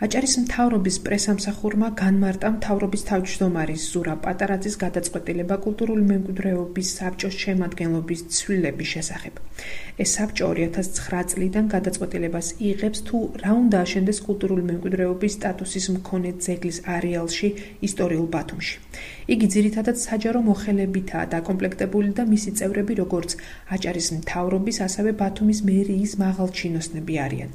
აჭარის მთავრობის პრესამსახურმა განმარტა მთავრობის თავმჯდომარის ზურაბ პატარაძის გადაწყვეტილება კულტურული მემკვიდრეობის საბჭოს შემადგენლობის ცვლილების შესახებ. ეს საბჭო 2009 წლიდან გადაწყვეტილებას იღებს თუ რა უნდა აშენდეს კულტურული მემკვიდრეობის სტატუსის მქონე ძეგლის არეალში ისტორიულ ბათუმში. იგი ძირითადად საჯარო მოხელებითაა დაკომპლექტებული და მისი წევრები როგორც აჭარის მთავრობის, ასევე ბათუმის მერიის მაღალჩინოსნები არიან.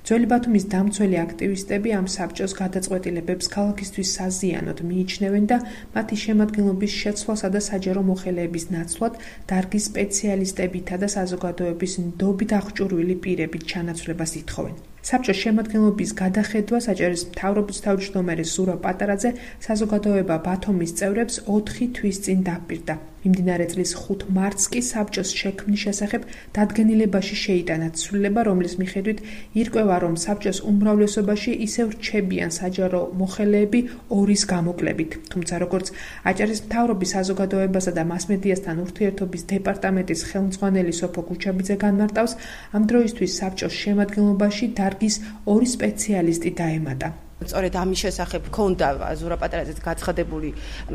ძველი ბათუმის დამცველი აქტივისტები ამ საბჭოს გადაწყვეტილებებს ქალაქისთვის საზიანოდ მიიჩნევენ და მათი შემადგენლობის შეცვლასა და საჯარო მოხელეების ნაცვლად დარგის სპეციალისტებითა და საზოგადოების ნდობით აღჭურვილი პირებით ჩანაცვლებას ითხოვენ. საბჭოს შემადგენლობის გადახედვას აჭარის მთავრობის თავმჯდომარე ზურაბ პატარაძე საზოგადოება ბათუმის წევრებს 4 თვის წინ დაპირდა. მიმდინარე წლის 5 მარტს კი საბჭოს შექმნის შესახებ დადგენილებაში შეიტანა ცვლილება, რომლის მიხედვით ირკვევა, რომ საბჭოს უმრავლესობაში ისევ რჩებიან საჯარო მოხელეები ორის გამოკლებით. თუმცა როგორც აჭარის მთავრობის საზოგადოებასა და მასმედიასთან ურთიერთობის დეპარტამენტის ხელმძღვანელი სოფო გუჩაბიძე განმარტავს, ამ დროისთვის საბჭოს შემადგენლობაში დარგის 2 სპეციალისტი დაემატა. სწორედ ამის შესახებ ქონდა ზურაბ პატარაძეს გაცხადებული,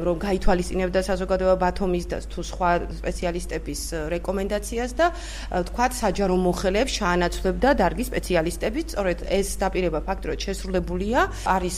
რომ გაითვალისწინებდა საზოგადოება ბათუმის და თუ სხვა სპეციალისტების რეკომენდაციას და თქვათ საჯარო მოხელეებს შეანაცვლებდა დარგის სპეციალისტები. სწორედ ეს დაპირება ფაქტურად შესრულებულია. არის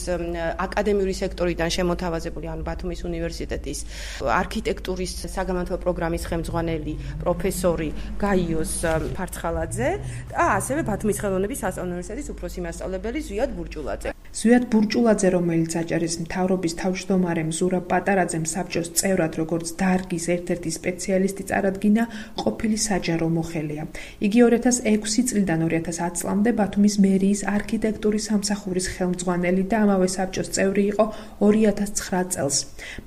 აკადემიური სექტორიდან შემოთავაზებული, ანუ ბათუმის უნივერსიტეტის არქიტექტურის საგამართლო პროგრამის ხელმძღვანელი პროფესორი გაიოს ფარცხალაძე და ასევე ბათუმის ხელოვნების სასწავლო უნივერსიტეტის უფროსი მასწავლებელი ზვიად ბურჭულაძე. ზვიად ბურჭულაძე, რომელიც აჭარის მთავრობის თავმჯდომარემ ზურაბ პატარაძემ საბჭოს წევრად როგორც დარგის ერთ-ერთი სპეციალისტი წარადგინა, ყოფილი საჯარო მოხელეა. იგი 2006 წლიდან 2010 წლამდე ბათუმის მერიის არქიტექტურის სამსახურის ხელმძღვანელი და ამავე საბჭოს წევრი იყო 2009 წელს.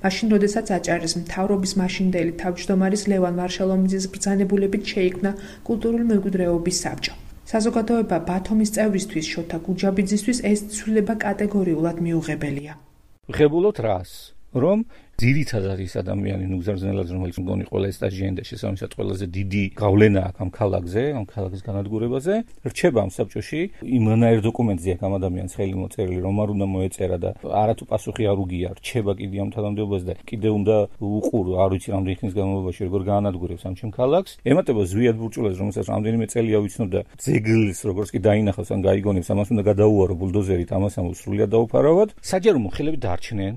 მაშინ, როდესაც აჭარის მთავრობის მაშინდელი თავმჯდომარის ლევან ვარშალომიძის ბრძანებულებით შეიქმნა კულტურული მემკვიდრეობის საბჭო. საზოგადოება ბათუმის წევრისთვის შოთა გუჯაბიძისთვის ეს ცვლილება კატეგორიულად მიუღებელია. ვღებულობთ რას? რომ ძირითადად ის ადამიანი ნუგზარზნელად, რომელიც მგონი ყველა სტაჟიანდა შესაბამისად ყველაზე დიდი გავლენა აქვს ამ ქალაქზე, ამ ქალაქის განადგურებაზე, რჩება ამ საბჭოში იმანაირ დოკუმენტზე აქ ამ ადამიანს ხელი მოწერილი, რომ არ უნდა მოეწერა და არათუ პასუხი არ უგია, რჩება კიდე ამ თანამდებობაზე და კიდე უნდა უყურო, არ ვიცი რამდენი ხნის განმავლობაში როგორ გაანადგურებს ამ ჩემ ქალაქს. ემატება ზვიად ბურჭულაძე, რომელსაც რამდენიმე წელია ვიცნობდა ძეგლის, როგორც კი დაინახავს ან გაიგონებს, ამას უნდა გადაუარო ბულდოზერით, ამას სრულიად დაუფარავად. საჯარო მოხელები დარჩნენ.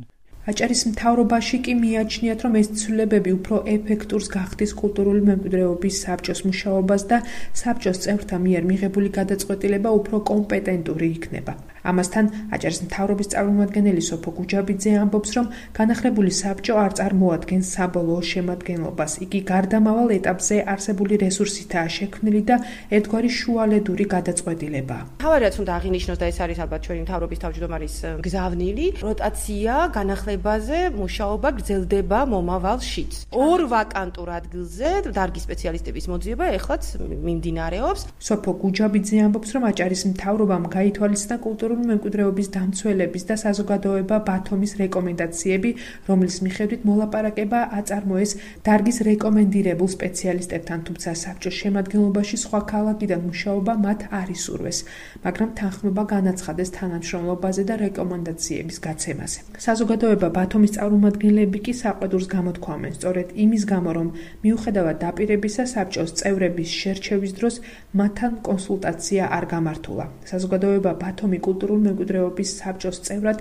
აჭარის მთავრობაში კი მიაჩნიათ, რომ ეს ცვლილებები უფრო ეფექტურს გახდის კულტურული მემკვიდრეობის საბჭოს მუშაობას და საბჭოს წევრთა მიერ მიღებული გადაწყვეტილება უფრო კომპეტენტური იქნება. ამასთან აჭარის მთავრობის წარმომადგენელი სოფო გუჯაბიძე ამბობს, რომ განახლებული საბჭო არ წარმოადგენს საბოლოო შემადგენლობას. იგი გარდამავალ ეტაპზე არსებული რესურსითაა შექმნილი და ერთგვარი შუალედური გადაწყვეტილებაა. თავარიაც უნდა აღინიშნოს და ეს არის ალბათ ჩვენი მთავრობის თავმჯდომარის გზავნილი, როტაცია განახლებაზე მუშაობა გრძელდება მომავალშიც. 2 ვაკანტურ ადგილზე დარგის სპეციალისტების მოძიება ეხლაც მიმდინარეობს. სოფო გუჯაბიძე ამბობს, რომ აჭარის მთავრობამ გაითვალისწინა კულტურული მემკვიდრეობის დამცველების და საზოგადოება ბათუმის რეკომენდაციები, რომლის მიხედვით მოლაპარაკება აწარმოეს დარგის რეკომენდირებულ სპეციალისტებთან, თუმცა საბჭოს შემადგენლობაში სხვა ქალაქიდან მუშაობა მათ არ ისურვეს, მაგრამ თანხმობა განაცხადეს თანამშრომლობაზე და რეკომენდაციების გაცემაზე. საზოგადოება ბათუმის წარმომადგენლები კი საყვედურს გამოთქვამენ, სწორედ იმის გამო, რომ მიუხედავად დაპირებისა საბჭოს წევრების შერჩევის დროს მათთან კონსულტაცია არ გამართულა. საზოგადოება ბათუმის კულტურული მემკვიდრეობის საბჭოს წევრად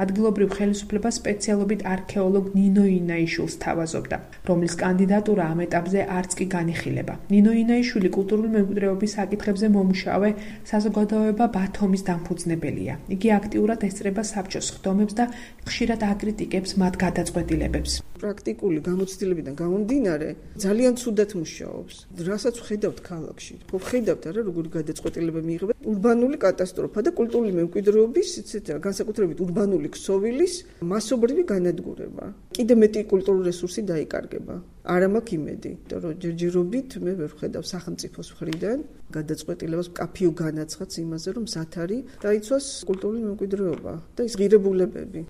ადგილობრივ ხელისუფლებას სპეციალობით არქეოლოგ ნინო ინაიშვილს თავაზობდა, რომლის კანდიდატურა ამ ეტაპზე არც კი განიხილება. ნინო ინაიშვილი კულტურული მემკვიდრეობის საკითხებზე მომუშავე საზოგადოება ბათუმის დამფუძნებელია. იგი აქტიურად ესწრება საბჭოს ხდომებს და ხშირად აკრიტიკებს მათ გადაწყვეტილებებს. პრაქტიკული გამოცდილებიდან გამომდინარე, ძალიან ცუდად მუშაობს. რასაც ვხედავთ ქალაქში. ვხედავთ არა როგორი გადაწყვეტილება მიიღება. ურბანული კატასტროფა და კულტურული მემკვიდრეობის, განსაკუთრებით ურბანული ქსოვილის მასობრივი განადგურება. კიდე მეტი კულტურული რესურსი დაიკარგება. არა მაქვს იმედი, რომ ჯერჯერობით მე ვერ ვხედავ სახელმწიფოს მხრიდან გადაწყვეტილებას მკაფიო განაცხადს იმაზე, რომ მზად არის დაიცვას კულტურული მემკვიდრეობა და ის ღირებულებები.